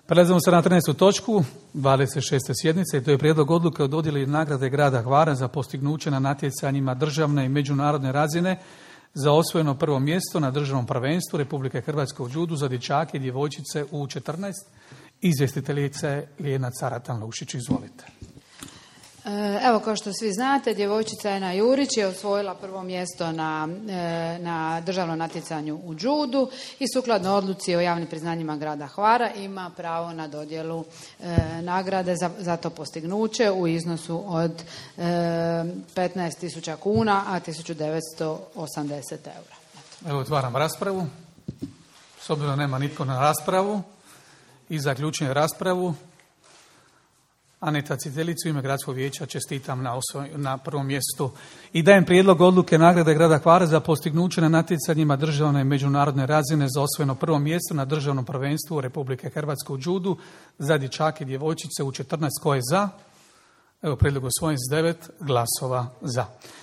Prelazimo se na 13. točku 26. sjednice i to je prijedlog odluke o dodjeli nagrade grada Hvara za postignuće na natjecanjima državne i međunarodne razine za osvojeno prvo mjesto na državnom prvenstvu Republike Hrvatske u judu za dječake i djevojčice u 14. Izvjestiteljice Lijena Caratan-Lušić, izvolite. Evo, kao što svi znate, djevojčica Ena Jurić je osvojila prvo mjesto na državnom natjecanju u judu i sukladno odluci o javnim priznanjima grada Hvara ima pravo na dodjelu nagrade za to postignuće u iznosu od 15.000 kuna, a 1.980 eura. Evo, otvaram raspravu. S obzirom da nema nitko na raspravu i zaključujem raspravu. Aneta Citelicu, u ime Gradskog vijeća čestitam na prvom mjestu i dajem prijedlog odluke nagrade grada Hvara za postignuće na natjecanjima državne i međunarodne razine za osvojeno prvo mjesto na državnom prvenstvu Republike Hrvatske u judu za dječake i djevojčice u 14. Ko je za? Evo, prijedlog osvojen s 9 glasova za.